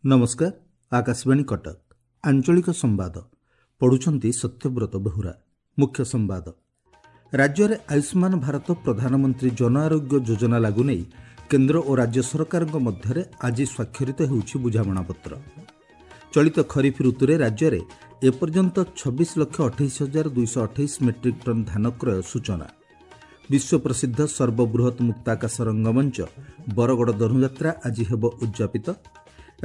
ନମସ୍କାର, ଆକାଶବାଣୀ କଟକ, ଆଞ୍ଚଳିକ ସମ୍ବାଦ ପଢ଼ୁଛନ୍ତି ସତ୍ୟବ୍ରତ ବେହୁରା। ମୁଖ୍ୟ ସମ୍ବାଦ। ରାଜ୍ୟରେ ଆୟୁଷ୍ମାନ ଭାରତ ପ୍ରଧାନମନ୍ତ୍ରୀ ଜନ ଆରୋଗ୍ୟ ଯୋଜନା ଲାଗୁ ନେଇ କେନ୍ଦ୍ର ଓ ରାଜ୍ୟ ସରକାରଙ୍କ ମଧ୍ୟରେ ଆଜି ସ୍ୱାକ୍ଷରିତ ହେଉଛି ବୁଝାମଣାପତ୍ର। ଚଳିତ ଖରିଫ ଋତୁରେ ରାଜ୍ୟରେ ଏପର୍ଯ୍ୟନ୍ତ 26,28,228 ମେଟ୍ରିକ୍ ଟନ୍ ଧାନ କ୍ରୟ ସୂଚନା। ବିଶ୍ୱପ୍ରସିଦ୍ଧ ସର୍ବବୃହତ୍ ମୁକ୍ତାକାଶ ରଙ୍ଗମଞ୍ଚ ବରଗଡ଼ ଧନୁଯାତ୍ରା ଆଜି ହେବ ଉଦ୍ଯାପିତ।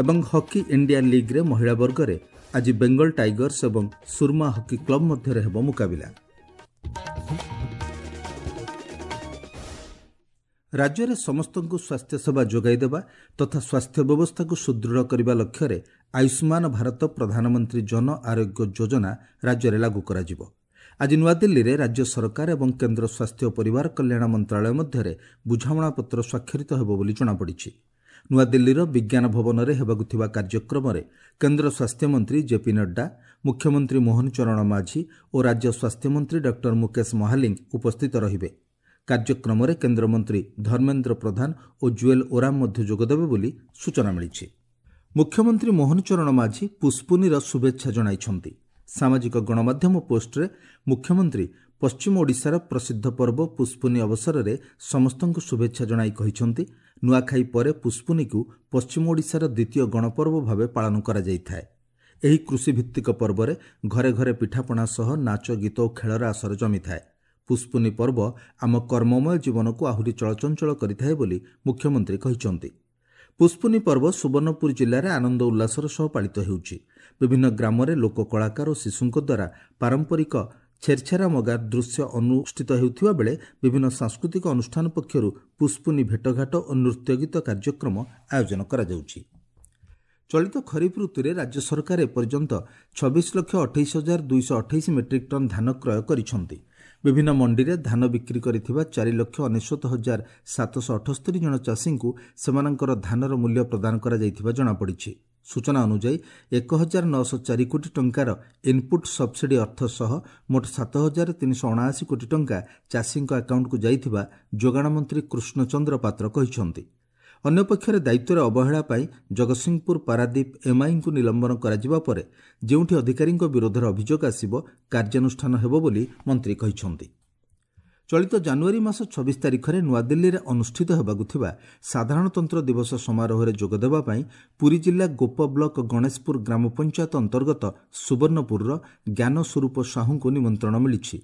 ଏବଂ ହକି ଇଣ୍ଡିଆ ଲିଗ୍ରେ ମହିଳା ବର୍ଗରେ ଆଜି ବେଙ୍ଗଲ ଟାଇଗର୍ସ ଏବଂ ସୁରମା ହକି କ୍ଲବ ମଧ୍ୟରେ ହେବ ମୁକାବିଲା। ରାଜ୍ୟରେ ସମସ୍ତଙ୍କୁ ସ୍ୱାସ୍ଥ୍ୟସେବା ଯୋଗାଇ ଦେବା ତଥା ସ୍ୱାସ୍ଥ୍ୟ ବ୍ୟବସ୍ଥାକୁ ସୁଦୃଢ଼ କରିବା ଲକ୍ଷ୍ୟରେ ଆୟୁଷ୍ମାନ ଭାରତ ପ୍ରଧାନମନ୍ତ୍ରୀ ଜନ ଆରୋଗ୍ୟ ଯୋଜନା ରାଜ୍ୟରେ ଲାଗୁ କରାଯିବ। ଆଜି ନୂଆଦିଲ୍ଲୀରେ ରାଜ୍ୟ ସରକାର ଏବଂ କେନ୍ଦ୍ର ସ୍ୱାସ୍ଥ୍ୟ ଓ ପରିବାର କଲ୍ୟାଣ ମନ୍ତ୍ରଣାଳୟ ମଧ୍ୟରେ ବୁଝାମଣାପତ୍ର ସ୍ୱାକ୍ଷରିତ ହେବ ବୋଲି ଜଣାପଡ଼ିଛି। ନୂଆଦିଲ୍ଲୀର ବିଜ୍ଞାନ ଭବନରେ ହେବାକୁ ଥିବା କାର୍ଯ୍ୟକ୍ରମରେ କେନ୍ଦ୍ର ସ୍ୱାସ୍ଥ୍ୟମନ୍ତ୍ରୀ ଜେପି ନଡ୍ଡା, ମୁଖ୍ୟମନ୍ତ୍ରୀ ମୋହନ ଚରଣ ମାଝୀ ଓ ରାଜ୍ୟ ସ୍ୱାସ୍ଥ୍ୟମନ୍ତ୍ରୀ ଡକ୍ଟର ମୁକେଶ ମହାଲିଙ୍ଗ ଉପସ୍ଥିତ ରହିବେ। କାର୍ଯ୍ୟକ୍ରମରେ କେନ୍ଦ୍ରମନ୍ତ୍ରୀ ଧର୍ମେନ୍ଦ୍ର ପ୍ରଧାନ ଓ ଜୁଏଲ ଓରାମ ମଧ୍ୟ ଯୋଗଦେବେ ବୋଲି ସୂଚନା ମିଳିଛି। ମୁଖ୍ୟମନ୍ତ୍ରୀ ମୋହନ ଚରଣ ମାଝୀ ପୁଷ୍ପୁନିର ଶୁଭେଚ୍ଛା ଜଣାଇଛନ୍ତି। ସାମାଜିକ ଗଣମାଧ୍ୟମ ପୋଷ୍ଟରେ ମୁଖ୍ୟମନ୍ତ୍ରୀ ପଶ୍ଚିମ ଓଡ଼ିଶାର ପ୍ରସିଦ୍ଧ ପର୍ବ ପୁଷ୍ପୁନି ଅବସରରେ ସମସ୍ତଙ୍କୁ ଶୁଭେଚ୍ଛା ଜଣାଇ କହିଛନ୍ତି, ନୂଆଖାଇ ପରେ ପୁଷ୍ପୁନିକୁ ପଶ୍ଚିମ ଓଡ଼ିଶାର ଦ୍ୱିତୀୟ ଗଣପର୍ବ ଭାବେ ପାଳନ କରାଯାଇଥାଏ। ଏହି କୃଷିଭିତ୍ତିକ ପର୍ବରେ ଘରେ ଘରେ ପିଠାପଣା ସହ ନାଚ, ଗୀତ ଓ ଖେଳର ଆସର ଜମିଥାଏ। ପୁଷ୍ପୁନି ପର୍ବ ଆମ କର୍ମମୟ ଜୀବନକୁ ଆହୁରି ଚଳଚଞ୍ଚଳ କରିଥାଏ ବୋଲି ମୁଖ୍ୟମନ୍ତ୍ରୀ କହିଛନ୍ତି। ପୁଷ୍ପୁନି ପର୍ବ ସୁବର୍ଣ୍ଣପୁର ଜିଲ୍ଲାରେ ଆନନ୍ଦ ଉଲ୍ଲାସର ସହ ପାଳିତ ହେଉଛି। ବିଭିନ୍ନ ଗ୍ରାମରେ ଲୋକ କଳାକାର ଓ ଶିଶୁଙ୍କ ଦ୍ୱାରା ପାରମ୍ପରିକ ଛେରଛେରା ମଗା ଦୃଶ୍ୟ ଅନୁଷ୍ଠିତ ହେଉଥିବା ବେଳେ ବିଭିନ୍ନ ସାଂସ୍କୃତିକ ଅନୁଷ୍ଠାନ ପକ୍ଷରୁ ପୁଷ୍ପୁନି ଭେଟଘାଟ ଓ ନୃତ୍ୟଗୀତ କାର୍ଯ୍ୟକ୍ରମ ଆୟୋଜନ କରାଯାଉଛି। ଚଳିତ ଖରିଫ ଋତୁରେ ରାଜ୍ୟ ସରକାର ଏପର୍ଯ୍ୟନ୍ତ 26,28,228 ମେଟ୍ରିକ୍ ଟନ୍ ଧାନ କ୍ରୟ କରିଛନ୍ତି। ବିଭିନ୍ନ ମଣ୍ଡିରେ ଧାନ ବିକ୍ରି କରିଥିବା 4,99,778 ଜଣ ଚାଷୀଙ୍କୁ ସେମାନଙ୍କର ଧାନର ମୂଲ୍ୟ ପ୍ରଦାନ କରାଯାଇଥିବା ଜଣାପଡ଼ିଛି। ସୂଚନା ଅନୁଯାୟୀ 1904 କୋଟି ଟଙ୍କାର ଇନ୍ପୁଟ୍ ସବ୍ସିଡି ଅର୍ଥ ସହ ମୋଟ 7379 କୋଟି ଟଙ୍କା ଚାଷୀଙ୍କ ଆକାଉଣ୍ଟକୁ ଯାଇଥିବା ଯୋଗାଣ ମନ୍ତ୍ରୀ କୃଷ୍ଣଚନ୍ଦ୍ର ପାତ୍ର କହିଛନ୍ତି। ଅନ୍ୟପକ୍ଷରେ ଦାୟିତ୍ୱରେ ଅବହେଳା ପାଇଁ ଜଗତସିଂହପୁର ପାରାଦୀପ ଏମ୍ଆଇଙ୍କୁ ନିଲମ୍ବନ କରାଯିବା ପରେ ଯେଉଁଠି ଅଧିକାରୀଙ୍କ ବିରୋଧରେ ଅଭିଯୋଗ ଆସିବ, କାର୍ଯ୍ୟାନୁଷ୍ଠାନ ହେବ ବୋଲି ମନ୍ତ୍ରୀ କହିଛନ୍ତି। ଚଳିତ ଜାନୁଆରୀ ମାସ 26 ତାରିଖରେ ନୂଆଦିଲ୍ଲୀରେ ଅନୁଷ୍ଠିତ ହେବାକୁ ଥିବା ସାଧାରଣତନ୍ତ୍ର ଦିବସ ସମାରୋହରେ ଯୋଗଦେବା ପାଇଁ ପୁରୀ ଜିଲ୍ଲା ଗୋପ ବ୍ଲକ ଗଣେଶପୁର ଗ୍ରାମ ପଞ୍ଚାୟତ ଅନ୍ତର୍ଗତ ସୁବର୍ଣ୍ଣପୁରର ଜ୍ଞାନ ସ୍ୱରୂପ ସାହୁଙ୍କୁ ନିମନ୍ତ୍ରଣ ମିଳିଛି।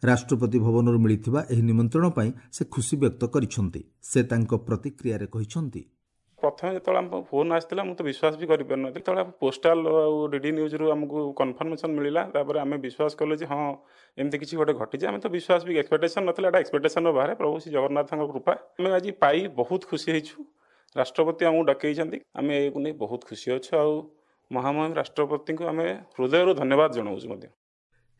ରାଷ୍ଟ୍ରପତି ଭବନରୁ ମିଳିଥିବା ଏହି ନିମନ୍ତ୍ରଣ ପାଇଁ ସେ ଖୁସି ବ୍ୟକ୍ତ କରିଛନ୍ତି। ସେ ତାଙ୍କ ପ୍ରତିକ୍ରିୟାରେ କହିଛନ୍ତି, ପ୍ରଥମେ ଯେତେବେଳେ ଆମ ଫୋନ୍ ଆସିଥିଲା, ମୁଁ ତ ବିଶ୍ୱାସ ବି କରିପାରିନଥିଲି। ଯେତେବେଳେ ପୋଷ୍ଟାଲ ଆଉ ଡିଡି ନ୍ୟୁଜ୍ରୁ ଆମକୁ କନଫର୍ମେସନ୍ ମିଳିଲା, ତାପରେ ଆମେ ବିଶ୍ୱାସ କଲୁ ଯେ ହଁ, ଏମିତି କିଛି ଗୋଟେ ଘଟିଛି। ଆମେ ତ ବିଶ୍ୱାସ ବି ଏକ୍ସପେକ୍ଟେସନ୍ ନଥିଲା, ଏଇଟା ଏକ୍ସପେକ୍ଟେସନ୍ର ବାହାରେ। ପ୍ରଭୁ ଶ୍ରୀ ଜଗନ୍ନାଥଙ୍କ କୃପା, ଆମେ ଆଜି ପାଇ ବହୁତ ଖୁସି ହେଇଛୁ। ରାଷ୍ଟ୍ରପତି ଆମକୁ ଡକେଇଛନ୍ତି, ଆମେ ଏହାକୁ ନେଇ ବହୁତ ଖୁସି ଅଛୁ ଆଉ ମହାମହିମ ରାଷ୍ଟ୍ରପତିଙ୍କୁ ଆମେ ହୃଦୟରୁ ଧନ୍ୟବାଦ ଜଣାଉଛୁ ମଧ୍ୟ।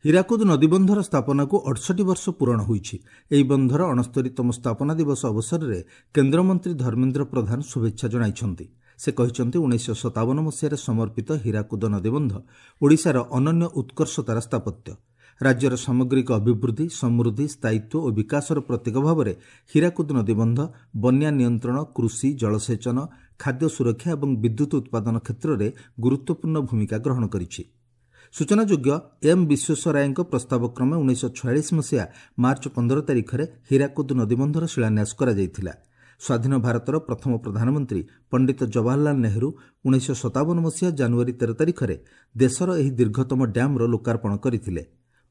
ହୀରାକୁଦ ନଦୀବନ୍ଧର ସ୍ଥାପନାକୁ 68 ବର୍ଷ ପୂରଣ ହୋଇଛି। ଏହି ବନ୍ଧର 69ତମ ସ୍ଥାପନା ଦିବସ ଅବସରରେ କେନ୍ଦ୍ରମନ୍ତ୍ରୀ ଧର୍ମେନ୍ଦ୍ର ପ୍ରଧାନ ଶୁଭେଚ୍ଛା ଜଣାଇଛନ୍ତି। ସେ କହିଛନ୍ତି, 1957 ମସିହାରେ ସମର୍ପିତ ହୀରାକୁଦ ନଦୀବନ୍ଧ ଓଡ଼ିଶାର ଅନନ୍ୟ ଉତ୍କର୍ଷତାର ସ୍ଥାପତ୍ୟ। ରାଜ୍ୟର ସାମଗ୍ରିକ ଅଭିବୃଦ୍ଧି, ସମୃଦ୍ଧି, ସ୍ଥାୟିତ୍ୱ ଓ ବିକାଶର ପ୍ରତୀକ ଭାବରେ ହୀରାକୁଦ ନଦୀବନ୍ଧ ବନ୍ୟା ନିୟନ୍ତ୍ରଣ, କୃଷି, ଜଳସେଚନ, ଖାଦ୍ୟ ସୁରକ୍ଷା ଏବଂ ବିଦ୍ୟୁତ୍ ଉତ୍ପାଦନ କ୍ଷେତ୍ରରେ ଗୁରୁତ୍ୱପୂର୍ଣ୍ଣ ଭୂମିକା ଗ୍ରହଣ କରିଛି। ସୂଚନାଯୋଗ୍ୟ, ଏମ୍ ବିଶ୍ୱେଶ୍ୱରାୟଙ୍କ ପ୍ରସ୍ତାବ କ୍ରମେ 1946 ମସିହା ମାର୍ଚ୍ଚ 15 ତାରିଖରେ ହୀରାକୁଦ ନଦୀବନ୍ଧର ଶିଳାନ୍ୟାସ କରାଯାଇଥିଲା। ସ୍ୱାଧୀନ ଭାରତର ପ୍ରଥମ ପ୍ରଧାନମନ୍ତ୍ରୀ ପଣ୍ଡିତ ଜବାହରଲାଲ ନେହେରୁ 1957 ମସିହା ଜାନୁଆରୀ 13 ତାରିଖରେ ଦେଶର ଏହି ଦୀର୍ଘତମ ଡ୍ୟାମ୍ର ଲୋକାର୍ପଣ କରିଥିଲେ।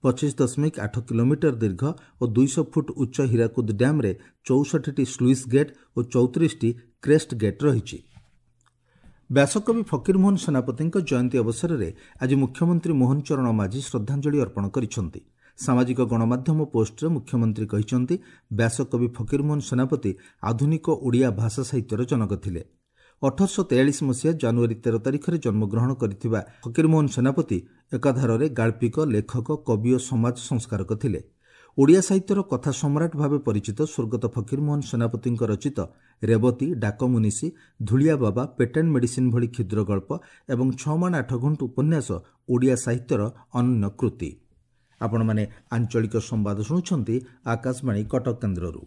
25.8 କିଲୋମିଟର ଦୀର୍ଘ ଓ 200 ଫୁଟ ଉଚ୍ଚ ହୀରାକୁଦ ଡ୍ୟାମ୍ରେ 64ଟି ସ୍ଲୁଇସ୍ ଗେଟ୍ ଓ 34ଟି କ୍ରେଷ୍ଟ ଗେଟ୍ ରହିଛି। ବ୍ୟାସକବି ଫକୀରମୋହନ ସେନାପତିଙ୍କ ଜୟନ୍ତୀ ଅବସରରେ ଆଜି ମୁଖ୍ୟମନ୍ତ୍ରୀ ମୋହନ ଚରଣ ମାଝୀ ଶ୍ରଦ୍ଧାଞ୍ଜଳି ଅର୍ପଣ କରିଛନ୍ତି। ସାମାଜିକ ଗଣମାଧ୍ୟମ ପୋଷ୍ଟରେ ମୁଖ୍ୟମନ୍ତ୍ରୀ କହିଛନ୍ତି, ବ୍ୟାସକବି ଫକୀରମୋହନ ସେନାପତି ଆଧୁନିକ ଓଡ଼ିଆ ଭାଷା ସାହିତ୍ୟର ଜନକ ଥିଲେ। 1843 ମସିହା ଜାନୁଆରୀ 13 ତାରିଖରେ ଜନ୍ମଗ୍ରହଣ କରିଥିବା ଫକୀରମୋହନ ସେନାପତି ଏକାଧାରରେ ଗାଳ୍ପିକ, ଲେଖକ, କବି ଓ ସମାଜ ସଂସ୍କାରକ ଥିଲେ। ଓଡ଼ିଆ ସାହିତ୍ୟର କଥା ସମ୍ରାଟ ଭାବେ ପରିଚିତ ସ୍ୱର୍ଗତ ଫକୀରମୋହନ ସେନାପତିଙ୍କ ରଚିତ ରେବତୀ, ଡାକମୁନିଷି, ଧୂଳିଆ ବାବା, ପେଟେଣ୍ଟ ମେଡିସିନ୍ ଭଳି କ୍ଷୁଦ୍ର ଗଳ୍ପ ଏବଂ 6 ମାଣ 8 ଗୁଣ୍ଠ ଉପନ୍ୟାସ ଓଡ଼ିଆ ସାହିତ୍ୟର ଅନନ୍ୟ କୃତି। ଆପଣମାନେ ଆଞ୍ଚଳିକ ସମ୍ବାଦ ଶୁଣୁଛନ୍ତି ଆକାଶବାଣୀ କଟକ କେନ୍ଦ୍ରରୁ।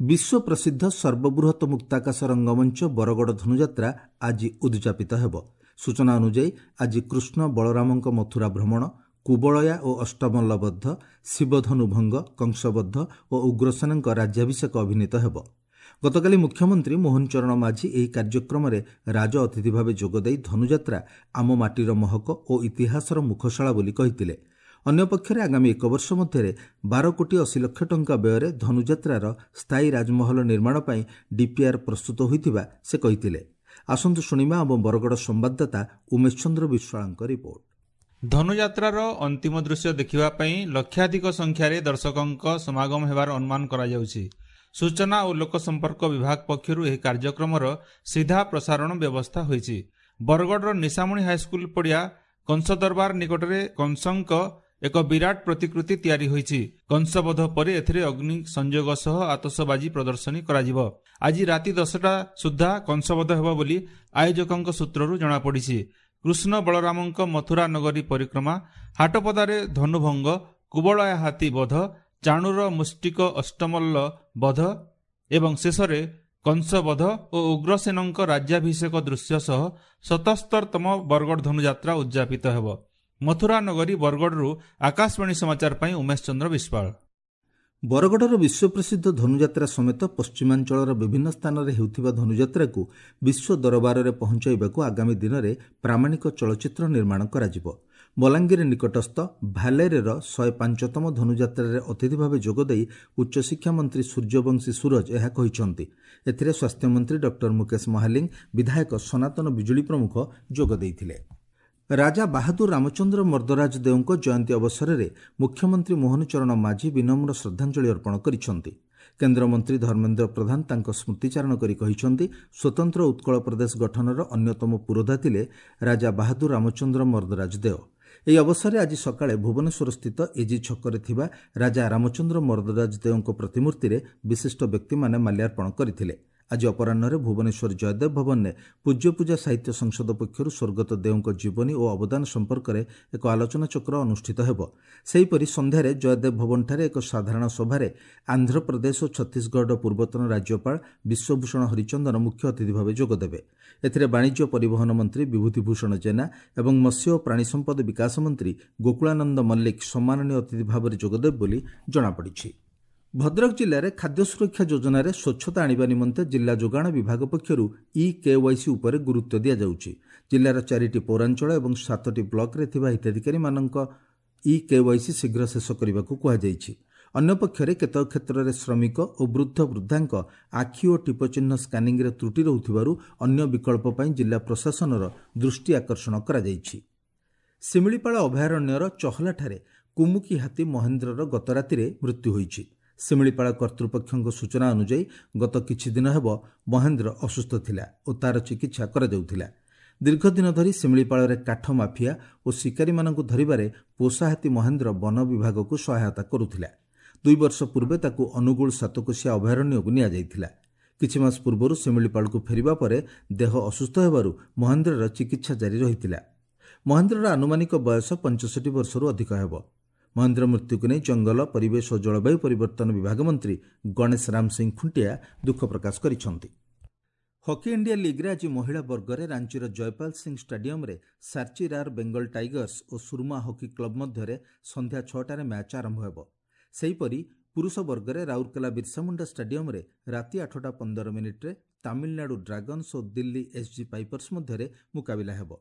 ବିଶ୍ୱ ପ୍ରସିଦ୍ଧ ସର୍ବବୃହତ ମୁକ୍ତାକାଶ ରଙ୍ଗମଞ୍ଚ ବରଗଡ଼ ଧନୁଯାତ୍ରା ଆଜି ଉଦଯାପିତ ହେବ। ସୂଚନା ଅନୁଯାୟୀ ଆଜି କୃଷ୍ଣ ବଳରାମଙ୍କ ମଥୁରା ଭ୍ରମଣ, କୁବଳୟା ଓ ଅଷ୍ଟମଲ୍ଲବଦ୍ଧ, ଶିବଧନୁଭଙ୍ଗ, କଂସବଦ୍ଧ ଓ ଉଗ୍ରସେନଙ୍କ ରାଜ୍ୟାଭିଷେକ ଅଭିନୀତ ହେବ। ଗତକାଲି ମୁଖ୍ୟମନ୍ତ୍ରୀ ମୋହନ ଚରଣ ମାଝୀ ଏହି କାର୍ଯ୍ୟକ୍ରମରେ ରାଜ ଅତିଥି ଭାବେ ଯୋଗଦେଇ ଧନୁଯାତ୍ରା ଆମ ମାଟିର ମହକ ଓ ଇତିହାସର ମୁଖଶାଳା ବୋଲି କହିଥିଲେ। ଅନ୍ୟପକ୍ଷରେ ଆଗାମୀ 1 ବର୍ଷ ମଧ୍ୟରେ 12 କୋଟି 80 ଲକ୍ଷ ଟଙ୍କା ବ୍ୟୟରେ ଧନୁଯାତ୍ରାର ସ୍ଥାୟୀ ରାଜମହଲ ନିର୍ମାଣ ପାଇଁ ଡିପିଆର୍ ପ୍ରସ୍ତୁତ ହୋଇଥିବା ସେ କହିଥିଲେ। ଆସନ୍ତୁ ଶୁଣିବା ଆମ ବରଗଡ଼ ସମ୍ବାଦଦାତା ଉମେଶ ଚନ୍ଦ୍ର ବିଶ୍ୱାଳଙ୍କ ରିପୋର୍ଟ। ଧନୁଯାତ୍ରାର ଅନ୍ତିମ ଦୃଶ୍ୟ ଦେଖିବା ପାଇଁ ଲକ୍ଷାଧିକ ସଂଖ୍ୟାରେ ଦର୍ଶକଙ୍କ ସମାଗମ ହେବାର ଅନୁମାନ କରାଯାଉଛି। ସୂଚନା ଓ ଲୋକସମ୍ପର୍କ ବିଭାଗ ପକ୍ଷରୁ ଏହି କାର୍ଯ୍ୟକ୍ରମର ସିଧା ପ୍ରସାରଣ ବ୍ୟବସ୍ଥା ହୋଇଛି। ବରଗଡ଼ର ନିଶାମଣି ହାଇସ୍କୁଲ ପଡ଼ିଆ କଂସ ଦରବାର ନିକଟରେ କଂସଙ୍କ ଏକ ବିରାଟ ପ୍ରତିକୃତି ତିଆରି ହୋଇଛି। କଂସବଧ ପରେ ଏଥିରେ ଅଗ୍ନି ସଂଯୋଗ ସହ ଆତସବାଜି ପ୍ରଦର୍ଶନୀ କରାଯିବ। ଆଜି ରାତି 10ଟା ସୁଦ୍ଧା କଂସବଧ ହେବ ବୋଲି ଆୟୋଜକଙ୍କ ସୂତ୍ରରୁ ଜଣାପଡ଼ିଛି। କୃଷ୍ଣ ବଳରାମଙ୍କ ମଥୁରା ନଗରୀ ପରିକ୍ରମା, ହାଟପଦାରେ ଧନୁଭଙ୍ଗ, କୁବଳୟା ହାତୀ ବଧ, ଚାଣୁର ମୁଷ୍ଟିକ ଅଷ୍ଟମଲ୍ଲ ବଧ ଏବଂ ଶେଷରେ କଂସବଧ ଓ ଉଗ୍ରସେନଙ୍କ ରାଜ୍ୟାଭିଷେକ ଦୃଶ୍ୟ ସହ 77ତମ ବରଗଡ଼ ଧନୁଯାତ୍ରା ଉଦଯାପିତ ହେବ। ମଥୁରା ନଗରୀ ବରଗଡ଼ରୁ ଆକାଶବାଣୀ ସମାଚାର ପାଇଁ ଉମେଶ ଚନ୍ଦ୍ର ବିଶ୍ୱାଳ। ବରଗଡ଼ର ବିଶ୍ୱପ୍ରସିଦ୍ଧ ଧନୁଯାତ୍ରା ସମେତ ପଶ୍ଚିମାଞ୍ଚଳର ବିଭିନ୍ନ ସ୍ଥାନରେ ହେଉଥିବା ଧନୁଯାତ୍ରାକୁ ବିଶ୍ୱ ଦରବାରରେ ପହଞ୍ଚାଇବାକୁ ଆଗାମୀ ଦିନରେ ପ୍ରାମାଣିକ ଚଳଚ୍ଚିତ୍ର ନିର୍ମାଣ କରାଯିବ। ବଲାଙ୍ଗୀର ନିକଟସ୍ଥ ଭାଲେରର 105ତମ ଧନୁଯାତ୍ରାରେ ଅତିଥି ଭାବେ ଯୋଗଦେଇ ଉଚ୍ଚଶିକ୍ଷା ମନ୍ତ୍ରୀ ସୂର୍ଯ୍ୟବଂଶୀ ସୂରଜ ଏହା କହିଛନ୍ତି। ଏଥିରେ ସ୍ୱାସ୍ଥ୍ୟମନ୍ତ୍ରୀ ଡକ୍ଟର ମୁକେଶ ମହାଲିଙ୍ଗ, ବିଧାୟକ ସନାତନ ବିଜୁଳି ପ୍ରମୁଖ ଯୋଗ ଦେଇଥିଲେ। ରାଜା ବାହାଦୁର ରାମଚନ୍ଦ୍ର ମର୍ଦ୍ଦରାଜ ଦେଓଙ୍କ ଜୟନ୍ତୀ ଅବସରରେ ମୁଖ୍ୟମନ୍ତ୍ରୀ ମୋହନ ଚରଣ ମାଝୀ ବିନମ୍ର ଶ୍ରଦ୍ଧାଞ୍ଜଳି ଅର୍ପଣ କରିଛନ୍ତି। କେନ୍ଦ୍ରମନ୍ତ୍ରୀ ଧର୍ମେନ୍ଦ୍ର ପ୍ରଧାନ ତାଙ୍କ ସ୍ମୃତିଚାରଣ କରି କହିଛନ୍ତି, ସ୍ୱତନ୍ତ୍ର ଉତ୍କଳ ପ୍ରଦେଶ ଗଠନର ଅନ୍ୟତମ ପୁରୋଧା ଥିଲେ ରାଜା ବାହାଦୁର ରାମଚନ୍ଦ୍ର ମର୍ଦ୍ଦରାଜ ଦେଓ। ଏହି ଅବସରରେ ଆଜି ସକାଳେ ଭୁବନେଶ୍ୱରସ୍ଥିତ ଏଜି ଛକରେ ଥିବା ରାଜା ରାମଚନ୍ଦ୍ର ମର୍ଦ୍ଦରାଜ ଦେଓଙ୍କ ପ୍ରତିମୂର୍ତ୍ତିରେ ବିଶିଷ୍ଟ ବ୍ୟକ୍ତିମାନେ ମାଲ୍ୟାର୍ପଣ କରିଥିଲେ। ଆଜି ଅପରାହ୍ନରେ ଭୁବନେଶ୍ୱର ଜୟଦେବ ଭବନରେ ପୂଜ୍ୟପୂଜା ସାହିତ୍ୟ ସଂସଦ ପକ୍ଷରୁ ସ୍ୱର୍ଗତ ଦେଓଙ୍କ ଜୀବନୀ ଓ ଅବଦାନ ସମ୍ପର୍କରେ ଏକ ଆଲୋଚନାଚକ୍ର ଅନୁଷ୍ଠିତ ହେବ। ସେହିପରି ସନ୍ଧ୍ୟାରେ ଜୟଦେବ ଭବନଠାରେ ଏକ ସାଧାରଣ ସଭାରେ ଆନ୍ଧ୍ରପ୍ରଦେଶ ଓ ଛତିଶଗଡ଼ର ପୂର୍ବତନ ରାଜ୍ୟପାଳ ବିଶ୍ୱଭୂଷଣ ହରିଚନ୍ଦନ ମୁଖ୍ୟ ଅତିଥି ଭାବେ ଯୋଗଦେବେ। ଏଥିରେ ବାଣିଜ୍ୟ ପରିବହନ ମନ୍ତ୍ରୀ ବିଭୂତି ଭୂଷଣ ଜେନା ଏବଂ ମତ୍ସ୍ୟ ଓ ପ୍ରାଣୀ ସମ୍ପଦ ବିକାଶ ମନ୍ତ୍ରୀ ଗୋକୁଳାନନ୍ଦ ମଲ୍ଲିକ ସମ୍ମାନନୀୟ ଅତିଥି ଭାବରେ ଯୋଗଦେବେ ବୋଲି ଜଣାପଡ଼ିଛି। ଭଦ୍ରକ ଜିଲ୍ଲାରେ ଖାଦ୍ୟ ସୁରକ୍ଷା ଯୋଜନାରେ ସ୍ୱଚ୍ଛତା ଆଣିବା ନିମନ୍ତେ ଜିଲ୍ଲା ଯୋଗାଣ ବିଭାଗ ପକ୍ଷରୁ ଇ-କେୱାଇସି ଉପରେ ଗୁରୁତ୍ୱ ଦିଆଯାଉଛି। ଜିଲ୍ଲାର 4ଟି ପୌରାଞ୍ଚଳ ଏବଂ 7ଟି ବ୍ଲକରେ ଥିବା ହିତାଧିକାରୀମାନଙ୍କ ଇ-କେୱାଇସି ଶୀଘ୍ର ଶେଷ କରିବାକୁ କୁହାଯାଇଛି। ଅନ୍ୟପକ୍ଷରେ କେତେକ କ୍ଷେତ୍ରରେ ଶ୍ରମିକ ଓ ବୃଦ୍ଧ ବୃଦ୍ଧାଙ୍କ ଆଖି ଓ ଟିପଚିହ୍ନ ସ୍କାନିଂରେ ତ୍ରୁଟି ରହୁଥିବାରୁ ଅନ୍ୟ ବିକଳ୍ପ ପାଇଁ ଜିଲ୍ଲା ପ୍ରଶାସନର ଦୃଷ୍ଟି ଆକର୍ଷଣ କରାଯାଇଛି। ଶିମିଳିପାଳ ଅଭୟାରଣ୍ୟର ଚହଲାଠାରେ କୁମୁକି ହାତୀ ମହେନ୍ଦ୍ରର ଗତରାତିରେ ମୃତ୍ୟୁ ହୋଇଛି। ଶିମିଳିପାଳ କର୍ତ୍ତୃପକ୍ଷଙ୍କ ସୂଚନା ଅନୁଯାୟୀ ଗତ କିଛିଦିନ ହେବ ମହେନ୍ଦ୍ର ଅସୁସ୍ଥ ଥିଲା ଓ ତାର ଚିକିତ୍ସା କରାଯାଉଥିଲା। ଦୀର୍ଘଦିନ ଧରି ଶିମିଳିପାଳରେ କାଠ ମାଫିଆ ଓ ଶିକାରୀମାନଙ୍କୁ ଧରିବାରେ ପୋଷା ହାତୀ ମହେନ୍ଦ୍ର ବନ ବିଭାଗକୁ ସହାୟତା କରୁଥିଲା। 2 ବର୍ଷ ପୂର୍ବେ ତାକୁ ଅନୁଗୁଳ ସାତକୋଶିଆ ଅଭୟାରଣ୍ୟକୁ ନିଆଯାଇଥିଲା। କିଛି ମାସ ପୂର୍ବରୁ ଶିମିଳିପାଳକୁ ଫେରିବା ପରେ ଦେହ ଅସୁସ୍ଥ ହେବାରୁ ମହେନ୍ଦ୍ରର ଚିକିତ୍ସା ଜାରି ରହିଥିଲା। ମହେନ୍ଦ୍ରର ଆନୁମାନିକ ବୟସ 65 ବର୍ଷରୁ ଅଧିକ ହେବ। ମହେନ୍ଦ୍ର ମୃତ୍ୟୁକୁ ନେଇ ଜଙ୍ଗଲ, ପରିବେଶ ଓ ଜଳବାୟୁ ପରିବର୍ତ୍ତନ ବିଭାଗ ମନ୍ତ୍ରୀ ଗଣେଶ ରାମ ସିଂ ଖୁଣ୍ଟିଆ ଦୁଃଖ ପ୍ରକାଶ କରିଛନ୍ତି। ହକି ଇଣ୍ଡିଆ ଲିଗ୍ରେ ଆଜି ମହିଳା ବର୍ଗରେ ରାଞ୍ଚିର ଜୟପାଲ ସିଂ ଷ୍ଟାଡିୟମରେ ସାର୍ଚିରାର ବେଙ୍ଗଲ ଟାଇଗର୍ସ ଓ ସୁରମା ହକି କ୍ଲବ ମଧ୍ୟରେ ସନ୍ଧ୍ୟା 6ଟାରେ ମ୍ୟାଚ୍ ଆରମ୍ଭ ହେବ। ସେହିପରି ପୁରୁଷ ବର୍ଗରେ ରାଉରକେଲା ବିର୍ସାମୁଣ୍ଡା ଷ୍ଟାଡିୟମରେ ରାତି 8ଟା 15 ମିନିଟ୍ରେ ତାମିଲନାଡୁ ଡ୍ରାଗନ୍ସ ଓ ଦିଲ୍ଲୀ ଏସ୍ଜି ପାଇପର୍ସ ମଧ୍ୟରେ ମୁକାବିଲା ହେବ।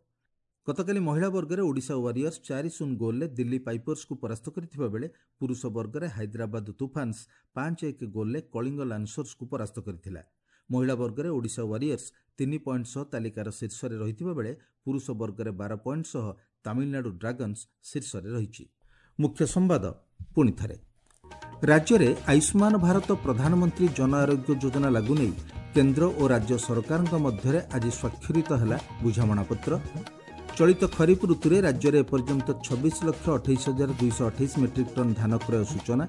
ଗତକାଲି ମହିଳା ବର୍ଗରେ ଓଡ଼ିଶା ୱାରିୟର୍ସ 4-0 ଗୋଲ୍ରେ ଦିଲ୍ଲୀ ପାଇପର୍ସକୁ ପରାସ୍ତ କରିଥିବା ବେଳେ ପୁରୁଷ ବର୍ଗରେ ହାଇଦ୍ରାବାଦ ତୁଫାନ୍ସ 5-1 ଗୋଲ୍ରେ କଳିଙ୍ଗ ଲାନ୍ସର୍ସକୁ ପରାସ୍ତ କରିଥିଲା। ମହିଳା ବର୍ଗରେ ଓଡ଼ିଶା ୱାରିୟର୍ସ 3 ପଏଣ୍ଟ ସହ ତାଲିକାର ଶୀର୍ଷରେ ରହିଥିବା ବେଳେ ପୁରୁଷ ବର୍ଗରେ 12 ପଏଣ୍ଟ ସହ ତାମିଲନାଡୁ ଡ୍ରାଗନ୍ସ ଶୀର୍ଷରେ ରହିଛି। ମୁଖ୍ୟ ସମ୍ବାଦ ପୁଣି ଥରେ। ରାଜ୍ୟରେ ଆୟୁଷ୍ମାନ ଭାରତ ପ୍ରଧାନମନ୍ତ୍ରୀ ଜନ ଆରୋଗ୍ୟ ଯୋଜନା ଲାଗୁ ନେଇ କେନ୍ଦ୍ର ଓ ରାଜ୍ୟ ସରକାରଙ୍କ ମଧ୍ୟରେ ଆଜି ସ୍ୱାକ୍ଷରିତ ହେଲା ବୁଝାମଣାପତ୍ର। ଚଳିତ ଖରିଫ ଋତୁରେ ରାଜ୍ୟରେ ଏପର୍ଯ୍ୟନ୍ତ 26,28,228 ମେଟ୍ରିକ୍ ଟନ୍ ଧାନ କ୍ରୟ ସୂଚନା।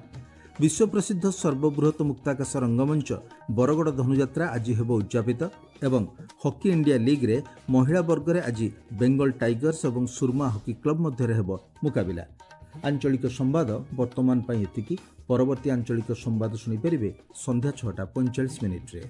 ବିଶ୍ୱପ୍ରସିଦ୍ଧ ସର୍ବବୃହତ ମୁକ୍ତାକାଶ ରଙ୍ଗମଞ୍ଚ ବରଗଡ଼ ଧନୁଯାତ୍ରା ଆଜି ହେବ ଉଦ୍ଯାପିତ ଏବଂ ହକି ଇଣ୍ଡିଆ ଲିଗ୍ରେ ମହିଳା ବର୍ଗରେ ଆଜି ବେଙ୍ଗଲ ଟାଇଗର୍ସ ଏବଂ ସୁରମା ହକି କ୍ଲବ ମଧ୍ୟରେ ହେବ ମୁକାବିଲା। ଆଞ୍ଚଳିକ ସମ୍ବାଦ ବର୍ତ୍ତମାନ ପାଇଁ ଏତିକି। ପରବର୍ତ୍ତୀ ଆଞ୍ଚଳିକ ସମ୍ବାଦ ଶୁଣିପାରିବେ ସନ୍ଧ୍ୟା 6ଟା 45 ମିନିଟ୍ରେ।